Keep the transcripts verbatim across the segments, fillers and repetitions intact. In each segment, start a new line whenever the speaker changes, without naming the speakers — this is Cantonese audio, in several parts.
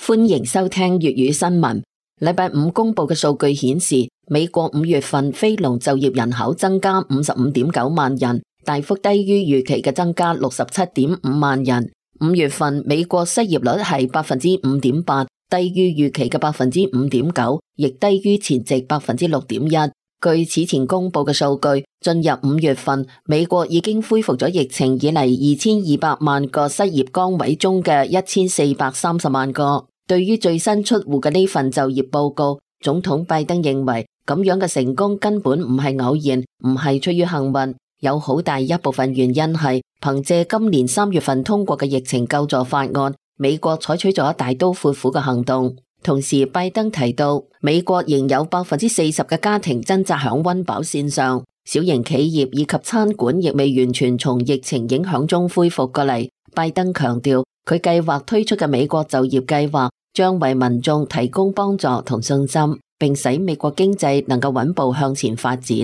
歡迎收聽粵語新聞。禮拜五公布嘅數據顯示，美國五月份非農就業人口增加五十五點九萬人，大幅低於預期嘅增加六十七點五萬人。五月份美國失業率係百分之五點八，低於預期嘅百分之五點九，亦低於前值百分之六點一。據此前公布嘅數據，進入五月份，美國已經恢復咗疫情以嚟二千二百萬個失業崗位中嘅一千四百三十萬個。對於最新出爐嘅呢份就業報告，總統拜登認為咁樣嘅成功根本唔係偶然，唔係出於幸運，有好大一部分原因係憑借今年三月份通過嘅疫情救助法案，美國採取咗大刀闊斧嘅行動。同時，拜登提到，美國仍有百分之四十嘅家庭掙扎響溫飽線上，小型企業以及餐館亦未完全從疫情影響中恢復過嚟。拜登強調，佢計劃推出嘅美國就業計劃將為民眾提供幫助同信心，並使美國經濟能夠穩步向前發展。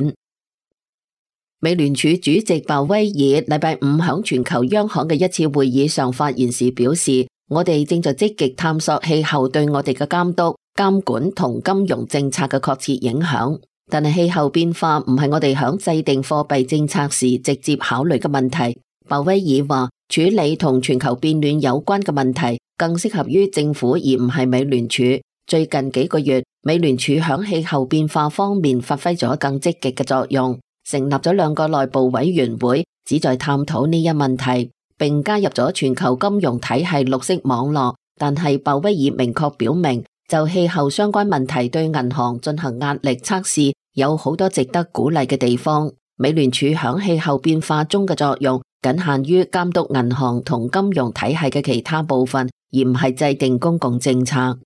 美聯儲主席鮑威爾禮拜五響全球央行嘅一次會議上發言時表示，我哋正在積極探索氣候對我哋嘅監督、監管同金融政策嘅確切影響，但係氣候變化唔係我哋響制定貨幣政策時直接考慮嘅問題。鮑威爾話，處理同全球變暖有關嘅問題更適合於政府而唔係美聯儲。最近幾個月，美聯儲響氣候變化方面發揮咗更積極嘅作用，成立咗兩個內部委員會，旨在探討呢一問題，並加入咗全球金融體系綠色網絡。但係鮑威爾明確表明，就氣候相關問題對銀行進行壓力測試，有好多值得鼓勵嘅地方。美聯儲響氣候變化中嘅作用僅限於監督銀行同金融體系嘅其他部分，而唔係制定公共政策。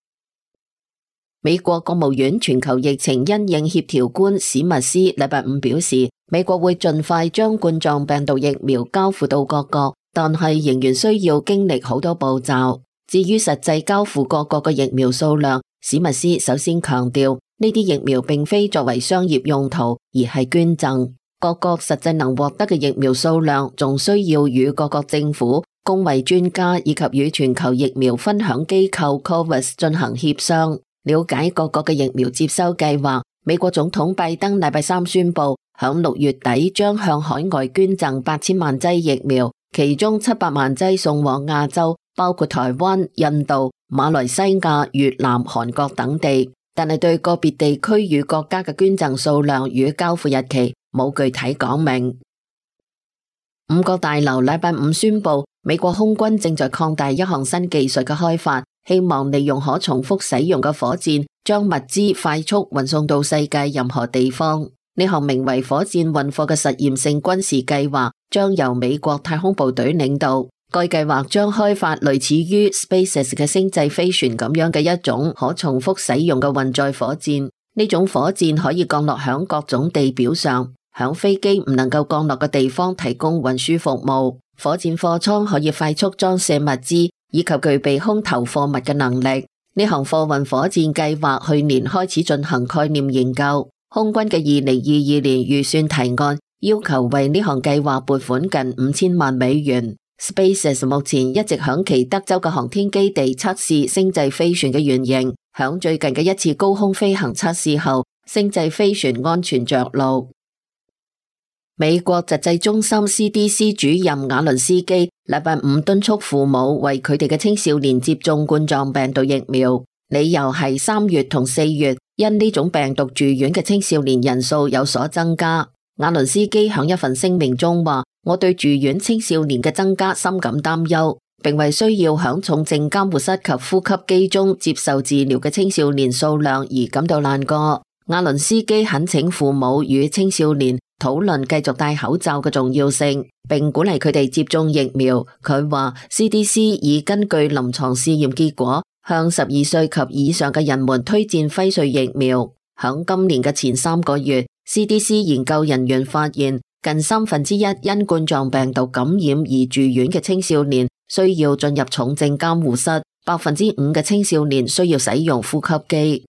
美國國務院全球疫情因應協調官史密斯禮拜五表示，美國會盡快將冠狀病毒疫苗交付到各國，但係仍然需要經歷好多步驟。至於實際交付各國嘅疫苗數量，史密斯首先強調，呢啲疫苗並非作為商業用途，而係捐贈。各國實際能獲得嘅疫苗數量，仲需要與各國政府、公衛專家以及與全球疫苗分享機構 COVAX 進行協商，了解各國嘅疫苗接收計劃。美國總統拜登禮拜三宣布，響六月底將向海外捐贈八千萬劑疫苗，其中七百萬劑送往亞洲，包括台灣、印度、馬來西亞、越南、韓國等地。但係對個別地區與國家嘅捐贈數量與交付日期冇具體講明。五角大樓禮拜五宣布，美國空軍正在擴大一項新技術嘅開發，希望利用可重複使用嘅火箭，將物資快速運送到世界任何地方。呢項名為火箭運貨嘅實驗性軍事計劃，將由美國太空部隊領導。該計劃將開發類似於 SpaceX 嘅星際飛船咁樣嘅一種可重複使用嘅運載火箭。呢種火箭可以降落響各種地表上，響飛機唔能夠降落嘅地方提供運輸服務。火箭貨艙可以快速裝卸物資，以及具備空投貨物嘅能力。呢項貨運火箭計劃去年開始進行概念研究。空軍嘅二零二二年預算提案要求為呢項計劃撥款近五千萬美元。SpaceX 目前一直響其德州嘅航天基地測試星際飛船嘅原型，響最近嘅一次高空飛行測試後，星際飛船安全着陸。美國疾疾中心 C D C 主任瓦倫斯基禮拜五敦促父母為佢哋嘅青少年接種冠狀病毒疫苗，理由係三月同四月因呢種病毒住院嘅青少年人數有所增加。瓦倫斯基響一份聲明中話，我對住院青少年嘅增加深感擔憂，並為需要響重症監護室及呼吸機中接受治療嘅青少年數量而感到難過。瓦倫斯基懇請父母與青少年討論繼續戴口罩嘅重要性，並鼓勵佢哋接種疫苗。佢話 C D C 已根據臨床試驗結果向十二歲及以上嘅人們推薦輝瑞疫苗。響今年嘅前三個月， C D C 研究人員發現近三分之一因冠狀病毒感染而住院嘅青少年需要進入重症監護室，百分之五嘅青少年需要使用呼吸機。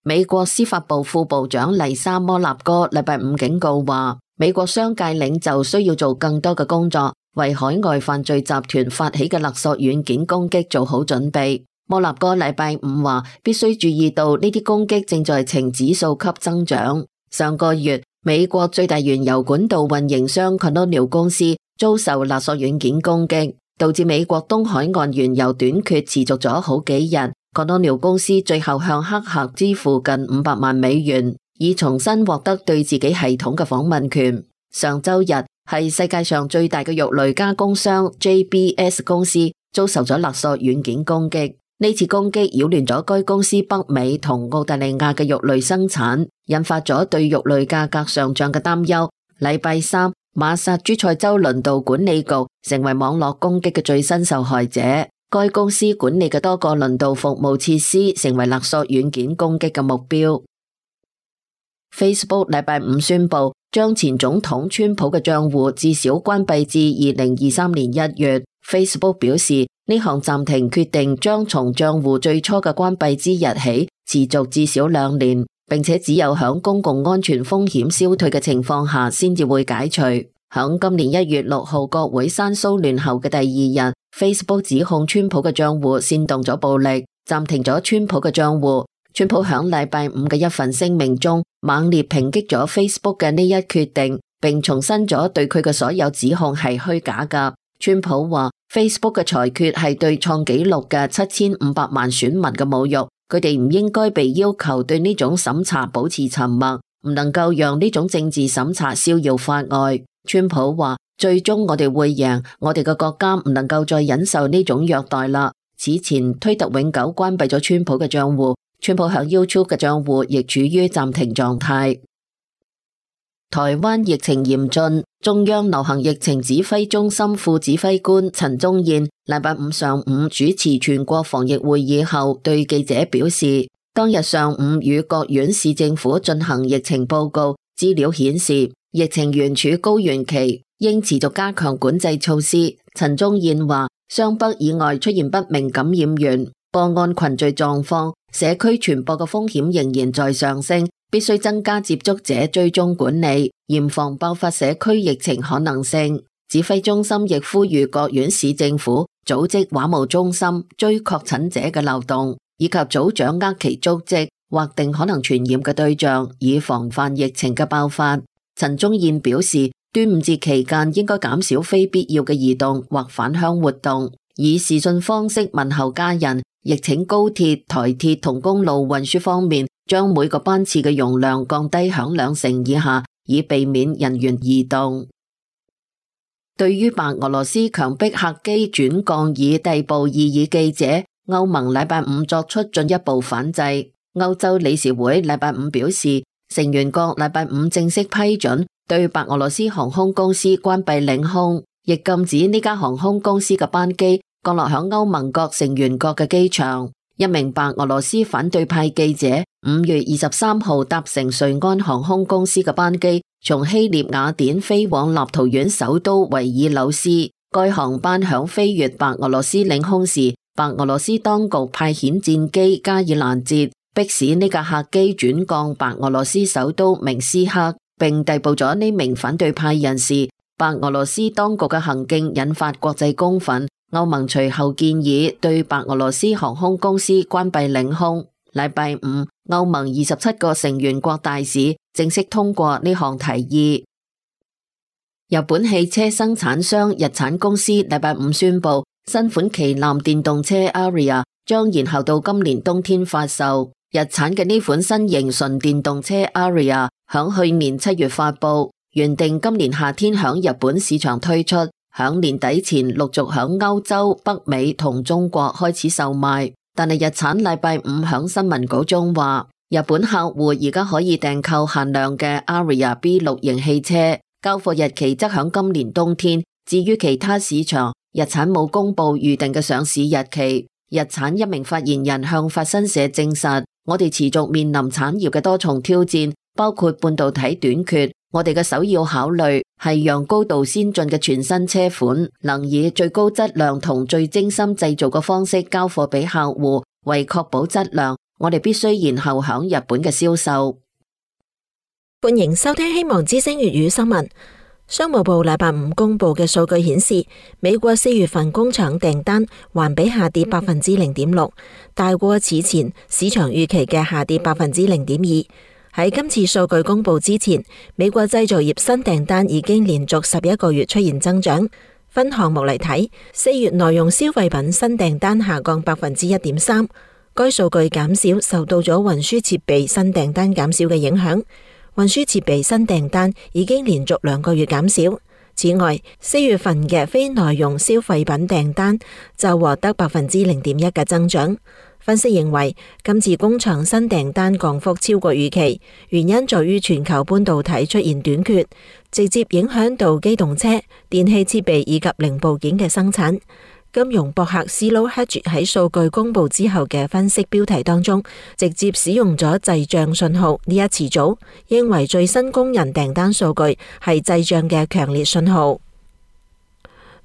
美國司法部副部長麗莎摩納哥禮拜五警告話，美國商界領袖需要做更多嘅工作，為海外犯罪集團發起嘅勒索軟件攻擊做好準備。摩納哥禮拜五話必須注意到呢啲攻擊正在呈指數級增長。上個月，美國最大原油管道運營商 Colonial 公司遭受勒索軟件攻擊，導致美國東海岸原油短缺持續咗好幾日。Colonial 公司最後向黑客支付近五百萬美元，以重新獲得對自己系統嘅訪問權。上周日係世界上最大嘅肉類加工商 J B S 公司遭受咗勒索軟件攻擊。呢次攻擊擾亂咗該公司北美同澳大利亞嘅肉類生產，引發咗對肉類價格上漲嘅擔憂。禮拜三，馬薩諸塞州輪道管理局成為網絡攻擊嘅最新受害者。該公司管理嘅多個輪道服務設施成為勒索軟件攻擊嘅目標。Facebook 禮拜五宣布將前總統川普嘅賬戶至少關閉至二零二三年一月。Facebook 表示，呢項暫停決定將從賬戶最初嘅關閉之日起持續至少兩年，並且只有響公共安全風險消退嘅情況下先至會解除。響今年一月六號國會山騷亂後嘅第二日， Facebook 指控川普嘅賬戶煽動咗暴力，暫停咗川普嘅賬戶。川普響禮拜五嘅一份聲明中猛烈抨擊咗 Facebook 嘅呢一決定，並重申咗對佢嘅所有指控係虛假㗎。川普話 Facebook 嘅裁決係對創紀錄嘅七千五百萬選民嘅侮辱，佢哋唔應該被要求對呢種審查保持沉默，唔能夠讓呢種政治審查逍遙法外。川普話最終我哋會贏，我哋嘅國家唔能夠再忍受呢種虐待啦。此前推特永久關閉咗川普嘅賬戶，川普響 YouTube 嘅賬戶亦處於暫停狀態。台灣疫情嚴峻，中央流行疫情指揮中心副指揮官陳宗彥禮拜五上午主持全國防疫會議後，對記者表示，當日上午與各縣市政府進行疫情報告，資料顯示疫情原處高原期，應持續加強管制措施。陳宗彥話，雙北以外出現不明感染源、個案群聚狀況，社區傳播嘅風險仍然在上升。必須增加接觸者追蹤管理，嚴防爆發社區疫情可能性。指揮中心亦呼籲各縣市政府組織話務中心，追確診者嘅漏洞，以及早掌握其足跡，劃定可能傳染嘅對象，以防範疫情嘅爆發。陳宗彥表示，端午節期間應該減少非必要嘅移動或返鄉活動，以視訊方式問候家人。亦請高鐵、台鐵同公路運輸方面，將每個班次嘅容量降低響兩成以下，以避免人員移動。對於白俄羅斯強迫客機轉降以逮捕異議記者，歐盟禮拜五作出進一步反制。歐洲理事會禮拜五表示，成員國禮拜五正式批准對白俄羅斯航空公司關閉領空，亦禁止呢家航空公司嘅班機降落響歐盟各成員國嘅機場。一名白俄羅斯反對派記者五月二十三號搭乘瑞安航空公司嘅班機，從希臘雅典飛往立陶宛首都維爾紐斯。該航班響飛越白俄羅斯領空時，白俄羅斯當局派遣戰機加以攔截，迫使呢架客機轉降白俄羅斯首都明斯克，並逮捕咗呢名反對派人士。白俄羅斯當局嘅行徑引發國際公憤。歐盟隨後建議對白俄羅斯航空公司關閉領空。禮拜五，歐盟二十七個成員國大使正式通過呢項提議。日本汽車生產商日產公司禮拜五宣布，新款旗艦電動車 Ariya 將延後到今年冬天發售。日產嘅呢款新型純電動車 Ariya 響去年七月發布，原定今年夏天響日本市場推出。響年底前陸續響歐洲、北美同中國開始售賣，但係日產禮拜五響新聞稿中話，日本客戶而家可以訂購限量嘅 Ariya B 六型汽車，交貨日期則響今年冬天。至於其他市場，日產冇公布預定嘅上市日期。日產一名發言人向法新社證實，我哋持續面臨產業嘅多重挑戰，包括半導體短缺。我哋嘅首要考慮係讓高度先進嘅全新車款能以最高質量同最精心製造嘅方式交貨俾客戶。為確保質量，我哋必須延後響日本嘅銷售。
歡迎收聽希望之聲粵語新聞。商務部禮拜五公布嘅數據顯示，美國四月份工廠訂單環比下跌百分之零點六，大過此前市場預期嘅下跌百分之零點二。喺今次數據公布之前，美國製造業新訂單已經連續十一個月出現增長。分項目嚟睇，四月耐用消費品新訂單下降百分之一點三，該數據減少受到咗運輸設備新訂單減少嘅影響。運輸設備新訂單已經連續兩個月減少。此外，四月份嘅非耐用消費品訂單就獲得百分之零點一嘅增長。分析認為，今次工廠新訂單降幅超過預期，原因在於全球半導體出現短缺，直接影響到機動車、電氣設備以及零部件嘅生產。金融博客 Zero Hedge 喺數據公布之後嘅分析標題當中，直接使用咗滯脹信號呢一詞組，認為最新工人訂單數據係滯脹嘅強烈信號。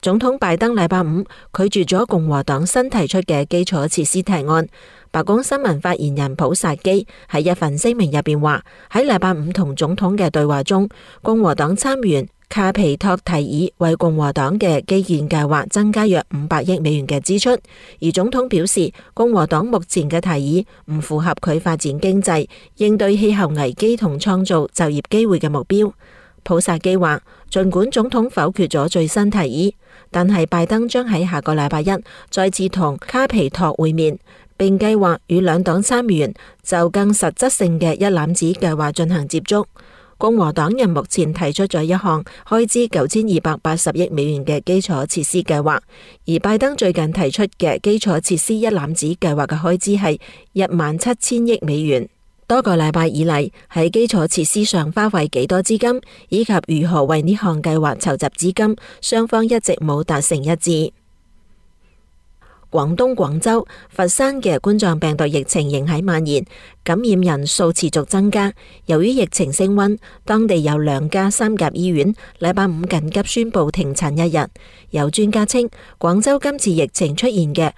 總統拜登禮拜五拒絕咗共和黨新提出嘅基礎設施提案。白宮新聞發言人普薩基喺一份聲明入邊話，喺禮拜五同總統嘅對話中，共和黨參議員卡皮托提議為共和黨嘅基建計劃增加約五百億美元嘅支出，而總統表示共和黨目前嘅提議唔符合佢發展經濟、應對氣候危機同創造就業機會嘅目標。普薩基話，儘管總統否決咗最新提議，但係拜登將喺下個禮拜一再次同卡皮托會面，並計劃與兩黨參議員就更實質性嘅一攬子計劃進行接觸。共和黨人目前提出咗一項開支九千二百八十億美元嘅基礎設施計劃，而拜登最近提出嘅基礎設施一攬子計劃嘅開支係一萬七千億美元。多個禮拜以嚟，喺基礎設施上花費幾多資金，以及如何為呢項計劃籌集資金，雙方一直冇達成一致。廣東廣州、佛山嘅冠狀病毒疫情仍喺蔓延，感染人數持續增加。由於疫情升溫，當地有兩家三甲醫院禮拜五緊急宣布停診一日。有專家稱，廣州今次疫情出現嘅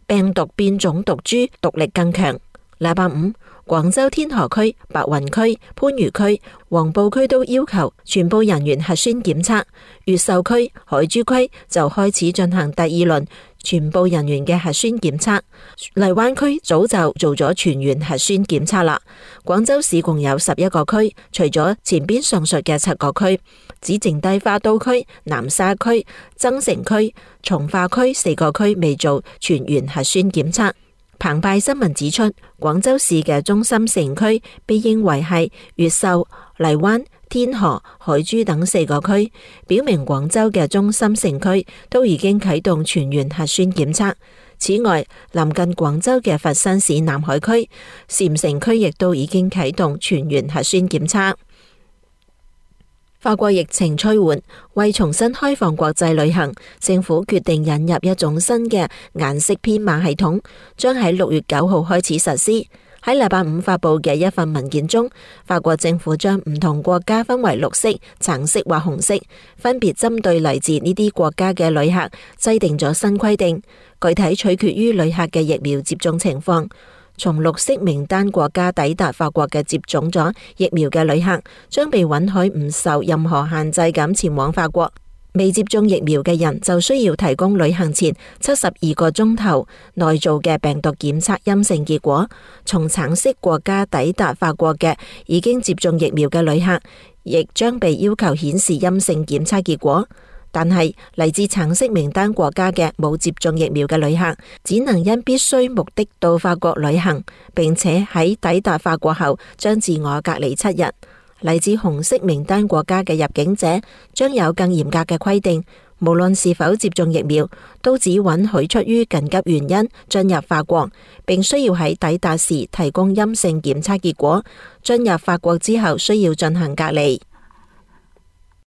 病毒變種毒株毒力更強。禮拜五，廣州天河區、白雲區、番禺區、黃埔區都要求全部人員核酸檢測，越秀區、海珠區就開始進行第二輪全部人員嘅核酸檢測，荔灣區早就做咗全員核酸檢測啦。廣州市共有十一個區，除咗前邊上述嘅七個區，只剩低花都區、南沙區、增城區、從化區四個區未做全員核酸檢測。澎湃新聞指出，廣州市嘅中心城區被認為係越秀、荔灣、天河、海珠等四個區，表明廣州嘅中心城區都已經啟動全員核酸檢測。此外，臨近廣州嘅佛山市南海區、禪城區亦都已經啟動全員核酸檢測。法國疫情趨緩，為重新開放國際旅行，政府決定引入一種新嘅顏色編碼系統，將喺六月九號開始實施。喺禮拜五發佈嘅一份文件中，法國政府將唔同國家分為綠色、橙色或紅色，分別針對嚟自呢啲國家嘅旅客制定咗新規定，具體取決於旅客嘅疫苗接種情況。從綠色名單國家抵達法國嘅接種咗疫苗嘅旅客，將被允許唔受任何限制咁前往法國。未接種疫苗嘅人就需要提供旅行前七十二個鐘頭內做嘅病毒檢測陰性結果。從橙色國家抵達法國嘅已經接種疫苗嘅旅客，亦將被要求顯示陰性檢測結果。但係嚟自橙色名單國家嘅冇接種疫苗嘅旅客，只能因必須目的到法國旅行，並且喺抵達法國後將自我隔離七日。嚟自紅色名單國家嘅入境者將有更嚴格嘅規定，無論是否接種疫苗，都只允許出於緊急原因進入法國，並需要喺抵達時提供陰性檢測結果。進入法國之後需要進行隔離。